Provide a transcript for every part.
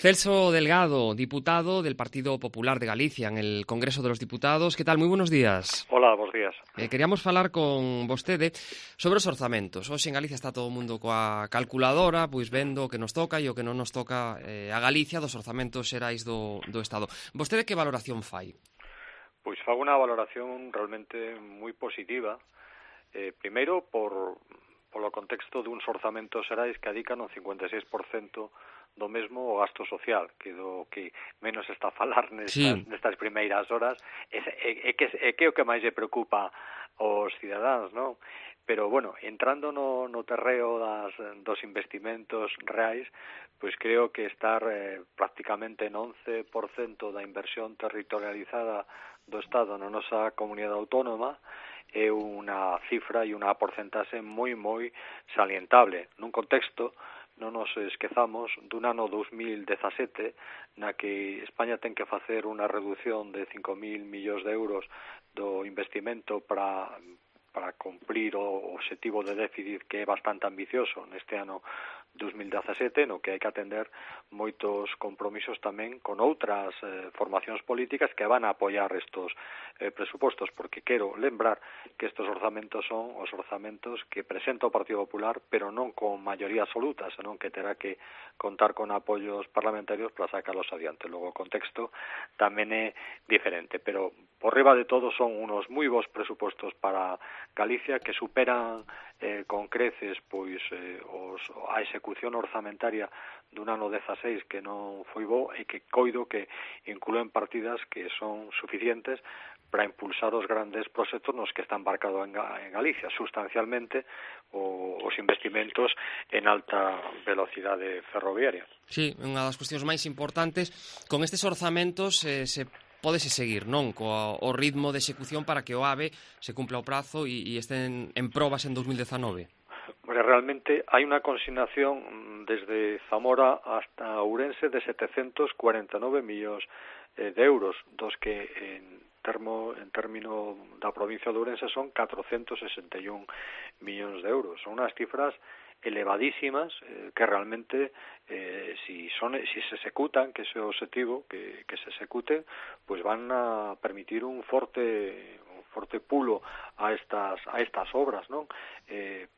Celso Delgado, diputado del Partido Popular de Galicia en el Congreso de los Diputados. Que tal? Moi buenos días. Hola, bons días. Queríamos falar con vostede sobre os orzamentos. Hoxe en Galicia está todo o mundo coa calculadora, pois vendo o que nos toca e o que non nos toca a Galicia dos orzamentos xerais do Estado. Vostede que valoración fai? Pois fago unha valoración realmente moi positiva. Primeiro, polo contexto duns orzamentos xerais que adican o 56% do mesmo o gasto social, que do que menos está a falar nestas primeiras horas, é que o que máis lle preocupa aos cidadáns, non? Pero, bueno, entrando no terreo dos investimentos reais, pois creo que estar prácticamente en 11% da inversión territorializada do Estado na nosa comunidade autónoma é unha cifra e unha porcentaxe moi salientable nun contexto, non nos esquezamos, dun ano 2017 na que España ten que facer unha reducción de 5.000 millóns de euros do investimento para cumplir o obxectivo de déficit que é bastante ambicioso neste ano 2017, no que hai que atender moitos compromisos tamén con outras formacións políticas que van a apoiar estos presupostos, porque quero lembrar que estes orzamentos son os orzamentos que presenta o Partido Popular, pero non con maioría absoluta, senón que terá que contar con apoios parlamentarios para sacarlos adiante. Logo o contexto tamén é diferente, pero por riba de todo son unos moi bons presupostos para Galicia que superan con creces pois a execución orzamentaria dun ano 16 que non foi bo e que coido que inclúen partidas que son suficientes para impulsar os grandes proxectos nos que está embarcado en Galicia, sustancialmente os investimentos en alta velocidade ferroviaria. Sí, unha das cuestións máis importantes. Con estes orzamentos pódese seguir, non? O ritmo de execución para que o AVE se cumpla o prazo e estén en probas en 2019. Realmente hai unha consignación desde Zamora hasta Ourense de 749 millóns de euros, dos que en término da provincia de Ourense son 461 millóns de euros. Son unhas cifras elevadísimas que realmente si se executan, que ese é o objetivo, que se executen, pues van a permitir un forte pulo a estas obras, non?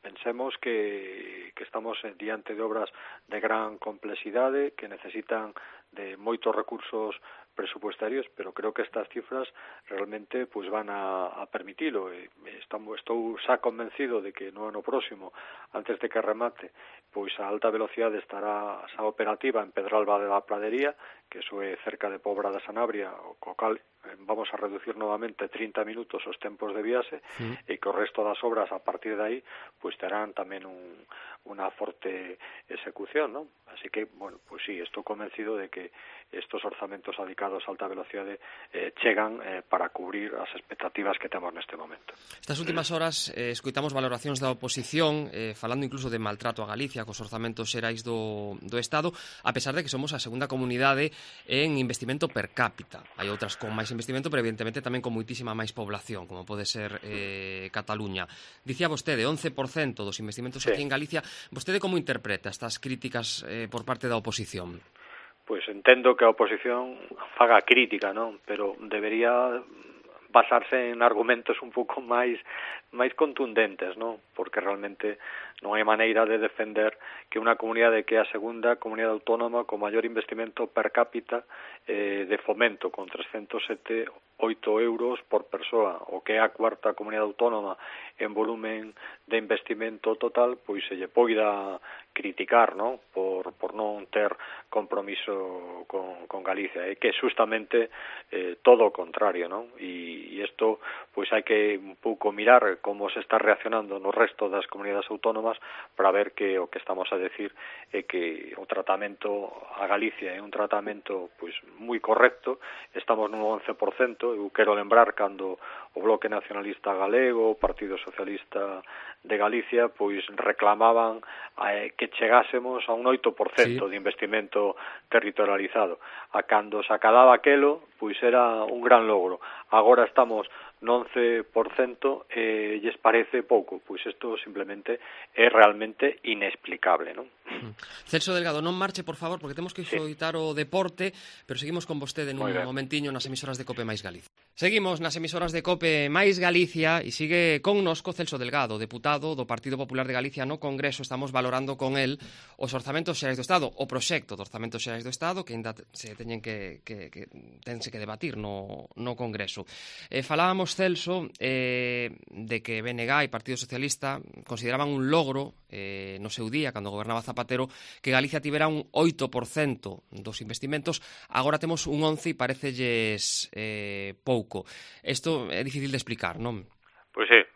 Pensemos que estamos diante de obras de gran complexidade que necesitan de moitos recursos presupuestarios, pero creo que estas cifras realmente pues van a permitilo. Estou xa convencido de que no ano próximo, antes de que remate, pois a alta velocidade estará xa operativa en Pedralba de la Pradería, que eso é cerca de Pobra de Sanabria, co cal vamos a reducir novamente 30 minutos os tempos de viaxe, e que o resto das obras a partir de aí pois terán tamén unha forte execución, non? Así que, bueno, pois sí, estou convencido de que estos orzamentos adicados a alta velocidade chegan para cubrir as expectativas que temos neste momento. Estas últimas horas escoitamos valoracións da oposición falando incluso de maltrato a Galicia cos orzamentos xerais do Estado, a pesar de que somos a segunda comunidade en investimento per cápita. Hai outras con máis investimento, pero evidentemente tamén con moitísima máis población, como pode ser Cataluña. Dicía vostede, 11% dos investimentos aquí en Galicia. Vostede como interpreta estas críticas por parte da oposición? Pois entendo que a oposición faga crítica, non? Pero debería basarse en argumentos un pouco máis contundentes, non? Porque realmente non hai maneira de defender que unha comunidade que é a segunda comunidade autónoma con maior investimento per cápita de fomento, con 307,8 euros por persoa, o que é a cuarta comunidade autónoma en volumen de investimento total, pois se lle poida criticar, non? Por non ter compromiso con Galicia, é que justamente todo o contrario, non? E isto, pois hai que un pouco mirar como se está reaccionando no resto das comunidades autónomas para ver que o que estamos a decir é que o tratamento a Galicia é un tratamento pois moi correcto. Estamos nun 11%, eu quero lembrar cando o Bloque Nacionalista Galego, o Partido Socialista de Galicia, pois reclamaban que chegásemos a un 8% de investimento territorializado. A cando se acababa aquelo, pois era un gran logro. Agora estamos no 11% lles parece pouco, pois isto simplemente é realmente inexplicable, non? Celso Delgado, non marche, por favor, porque temos que xoitar o deporte, pero seguimos con vostede nun momentiño nas emisoras de COPE máis Galicia. Seguimos nas emisoras de COPE máis Galicia e sigue connosco Celso Delgado, deputado do Partido Popular de Galicia no Congreso. Estamos valorando con el os orzamentos xerais do Estado, o proxecto de orzamentos xerais do Estado que ainda se teñen tense que debatir no Congreso. Falábamos, Celso, de que BNG e Partido Socialista consideraban un logro no seu día, cando gobernaba Zapatero, que Galicia tivera un 8% dos investimentos. Agora temos un 11% e parecelles pouco. Isto é difícil de explicar, non? Pois é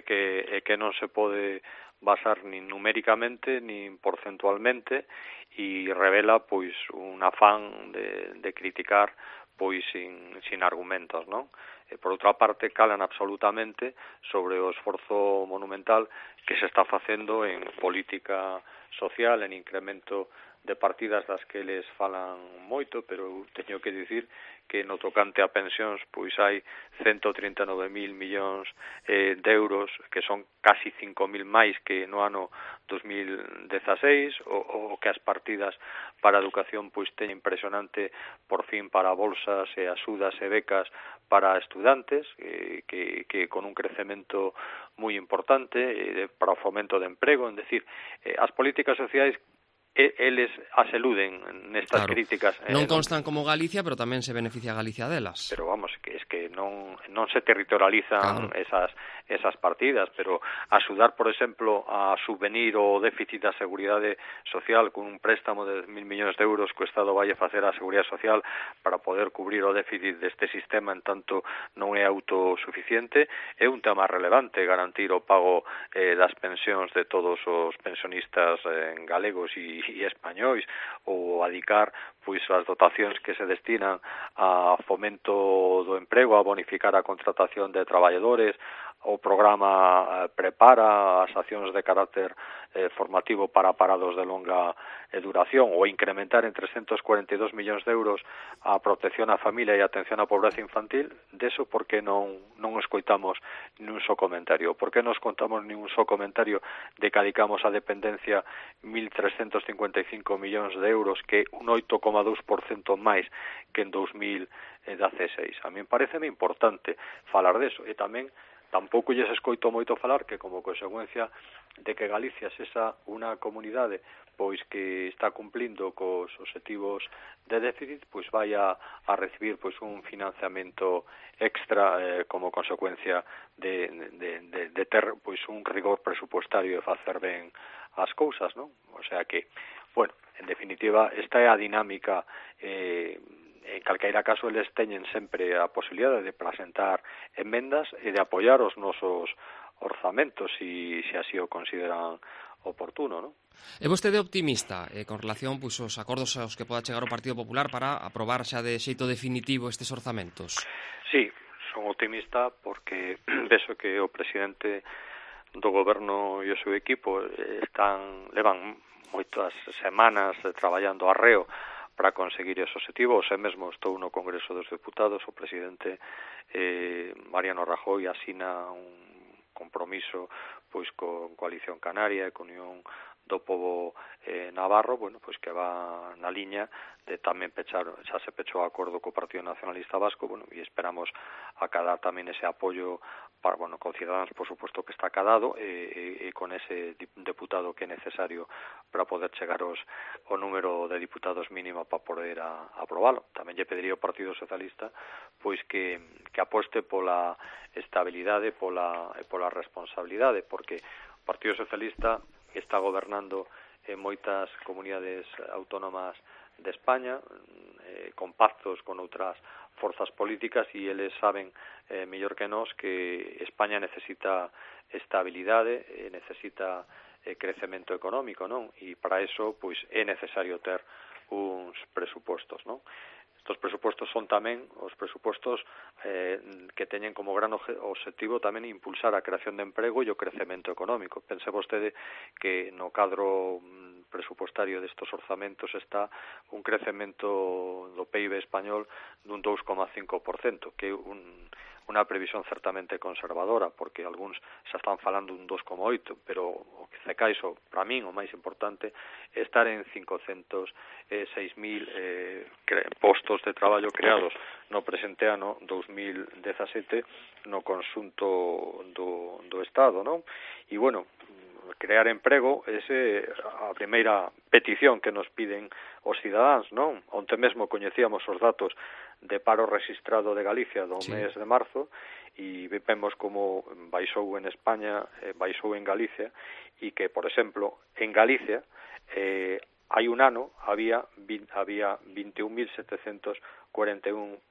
que non se pode basar nin numéricamente nin porcentualmente e revela pois un afán de criticar pois sin argumentos, non? Por outra parte, calan absolutamente sobre o esforzo monumental que se está facendo en política social, en incremento de partidas das que eles falan moito, pero teño que dicir que no tocante a pensións pois hai 139.000 millóns de euros, que son casi 5.000 máis que no ano 2016, o que as partidas para a educación pois teñen impresionante por fin para bolsas e axudas e becas para estudantes, que con un crecemento moi importante para o fomento de emprego, decir, as políticas sociais eles as eluden nestas críticas. Non constan como Galicia, pero tamén se beneficia Galicia delas. Pero vamos, que es que non se territorializan esas partidas, pero axudar, por exemplo, a subvenir o déficit da Seguridade Social con un préstamo de 10.000 millóns de euros que o Estado vai a facer á Seguridade Social para poder cubrir o déficit deste sistema en tanto non é autosuficiente, é un tema relevante garantir o pago das pensións de todos os pensionistas galegos e españois, ou adicar pois as dotacións que se destinan a fomento do emprego, a bonificar a contratación de traballadores, o programa prepara as accións de carácter formativo para parados de longa duración, ou incrementar en 342 millóns de euros a protección á familia e a atención á pobreza infantil. Deso, por que non escoitamos nin un só comentario? Por que non escoitamos nin un só comentario de que adicamos a dependencia 1.355 millóns de euros, que un 8,2% máis que en 2016? A min pareceme importante falar deso, e tamén tampouco lles escoito moito falar que como consecuencia de que Galicia sexa unha comunidade pois que está cumplindo cos obxectivos de déficit, pois vai a recibir pois un financiamento extra como consecuencia de ter pois un rigor presupuestario e facer ben as cousas, non? O sea que, bueno, en definitiva, esta é a dinámica. En calqueira caso, eles teñen sempre a posibilidade de presentar emendas e de apoiar os nosos orzamentos se así o consideran oportuno, non? É vostede optimista con relación pois, aos acordos aos que poda chegar o Partido Popular para aprobar xa de xeito definitivo estes orzamentos? Sí, son optimista porque vexo que o presidente do goberno e o seu equipo levan moitas semanas traballando arreo para conseguir ese objetivo. Ose mesmo estou no Congreso dos Deputados, o presidente Mariano Rajoy asina un compromiso pois con Coalición Canaria e con Unión do Pobo Navarro, bueno, pois que va na liña de tamén xa se pechou o acordo co Partido Nacionalista Vasco, bueno, e esperamos acadar tamén ese apoio para, bueno, con Ciudadanos, por suposto que está acadado, e con ese deputado que é necesario para poder chegar o número de diputados mínimo para poder aprobalo. Tamén lle pediría ao Partido Socialista pois que aposte pola estabilidade e pola responsabilidade, porque o Partido Socialista está gobernando en moitas comunidades autónomas de España, con pactos con outras forzas políticas, e eles saben mellor que nós que España necesita estabilidade, necesita crecemento económico, non? E para eso pois é necesario ter uns presupostos, non? Estos presupostos son tamén os presupostos que teñen como gran objetivo tamén impulsar a creación de emprego e o crecemento económico. Pense vostede que no cadro presupuestario destes orzamentos está un crecemento do PIB español dun 2,5%, que é unha previsión certamente conservadora, porque algúns xa están falando dun 2,8, pero o que se caixo, para min, o máis importante, é estar en 506.000 postos de traballo creados no presente ano 2017 no conxunto do Estado, non? E, bueno, crear emprego é a primeira petición que nos piden os cidadáns, non? Onte mesmo coñecíamos os datos de paro registrado de Galicia do mes de marzo e vemos como baixou en España, baixou en Galicia e que, por exemplo, en Galicia hai un ano había 21.741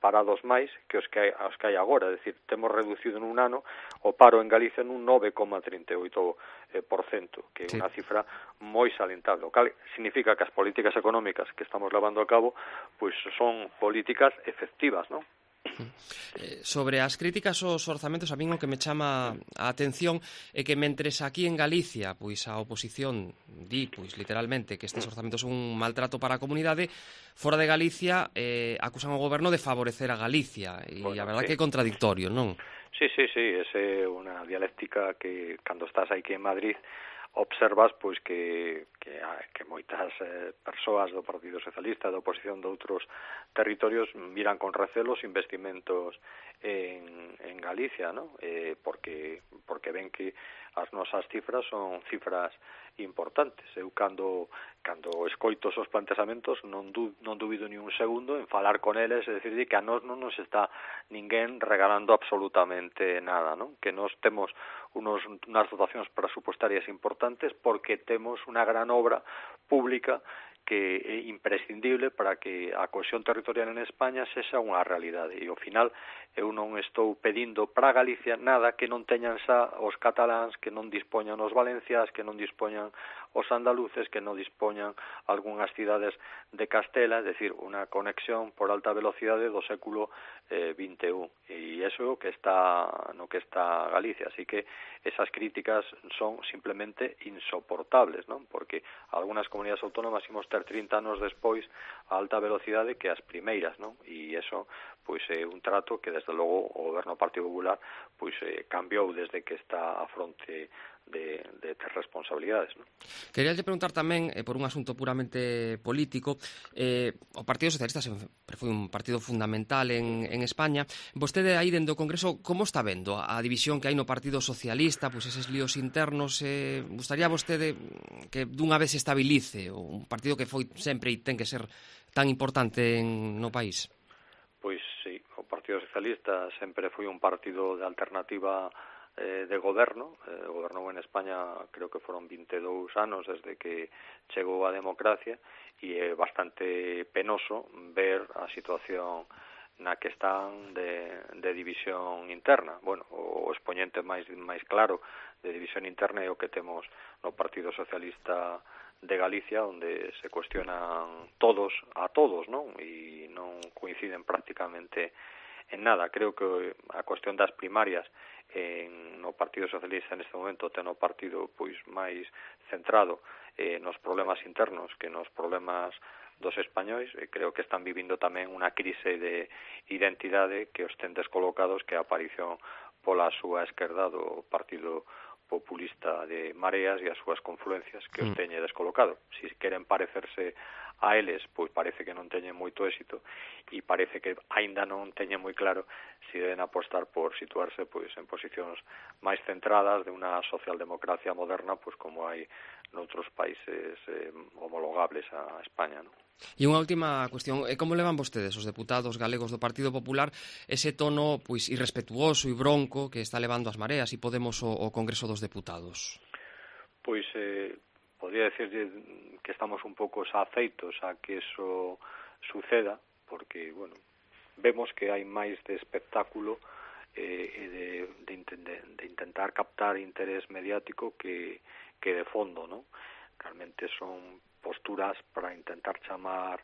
parados máis que os que hai agora, é dicir, temos reducido nun ano o paro en Galicia nun 9,38%, que é unha cifra moi salientable, o cal significa que as políticas económicas que estamos levando a cabo pois son políticas efectivas, non? Sobre as críticas aos orzamentos, a min o que me chama a atención é que mentres aquí en Galicia pois a oposición di, pois literalmente, que estes orzamentos son un maltrato para a comunidade, fora de Galicia acusan ao goberno de favorecer a Galicia, e a verdad que é contradictorio, non? Sí, esa é unha dialéctica que cando estás aquí en Madrid observas pois que moitas persoas do Partido Socialista, da oposición de outros territorios miran con recelo os investimentos en Galicia, ¿no? Porque ven que as nosas cifras son cifras importantes. Eu cando escoito esos plantexamentos non dubido ni un segundo en falar con eles e decir que a nós non nos está ninguén regalando absolutamente nada, ¿no? Que nós temos unas dotacións presupuestarias importantes porque temos unha gran obra pública que é imprescindible para que a cohesión territorial en España sexa unha realidade. E ao final eu non estou pedindo para Galicia nada que non teñan xa os cataláns, que non dispoñan os valenciás, que non dispoñan os andaluces, que non dispoñan algunhas cidades de Castela, é dicir, unha conexión por alta velocidade do século XXI. E iso que está no que está Galicia. Así que esas críticas son simplemente insoportables, non? Porque algunhas comunidades autónomas imos ter 30 anos despois a alta velocidade que as primeiras, non? E iso pois é un trato que desde logo o goberno do Partido Popular pois cambiou desde que está a fronte de ter responsabilidades, non? Queríalle preguntar tamén, por un asunto puramente político, o Partido Socialista sempre foi un partido fundamental en España. Vostede aí dentro do Congreso, como está vendo a división que hai no Partido Socialista, pois eses líos internos? Gustaría vostede que dunha vez se estabilice un partido que foi sempre e ten que ser tan importante no país? Pois sí, o Partido Socialista sempre foi un partido de alternativa de goberno, gobernou en España creo que foron 22 anos desde que chegou a democracia e é bastante penoso ver a situación na que están de división interna. Bueno, o expoñente máis claro de división interna é o que temos no Partido Socialista de Galicia, onde se cuestionan todos a todos, non? E non coinciden prácticamente en nada. Creo que a cuestión das primarias no Partido Socialista neste momento ten o partido pois máis centrado nos problemas internos que nos problemas dos españois, e creo que están vivindo tamén unha crise de identidade que os ten descolocados, que a aparición pola súa esquerda do Partido Populista de Mareas e as súas confluencias que os teñe descolocado. Si queren parecerse a eles, pois parece que non teñen moito éxito e parece que aínda non teñen moi claro se deben apostar por situarse pois en posicións máis centradas de unha socialdemocracia moderna, pois como hai noutros países homologables a España, non? E unha última cuestión, como levan vostedes, os deputados galegos do Partido Popular, ese tono pois irrespetuoso e bronco que está levando as Mareas e Podemos o Congreso dos Deputados? Pois podría decirlle que estamos un pouco xa afeitos a que eso suceda, porque, bueno, vemos que hai máis de espectáculo e de intentar captar interés mediático que de fondo, ¿no? Realmente son posturas para intentar chamar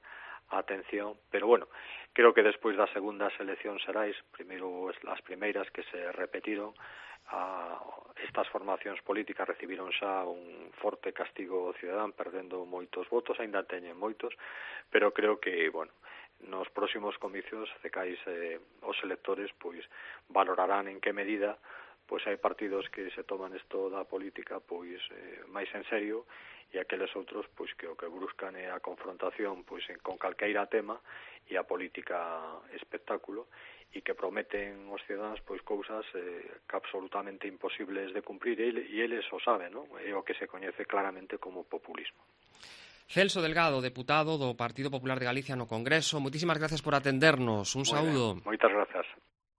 a atención, pero bueno, creo que despois das segundas eleccións xerais, primeiro as primeiras que se repetiron, estas formacións políticas recibiron xa un forte castigo cidadán, perdendo moitos votos, aínda teñen moitos, pero creo que, bueno, nos próximos comicios cecais os electores pois valorarán en que medida pois hai partidos que se toman isto da política pois máis en serio e aqueles outros pois que o que buscan é a confrontación pois con calqueira tema e a política espectáculo e que prometen aos cidadáns pois cousas que absolutamente imposibles de cumprir e eles o saben, non? É o que se coñece claramente como populismo. Celso Delgado, deputado do Partido Popular de Galicia no Congreso, moitísimas gracias por atendernos. Un saúdo. Moitas grazas.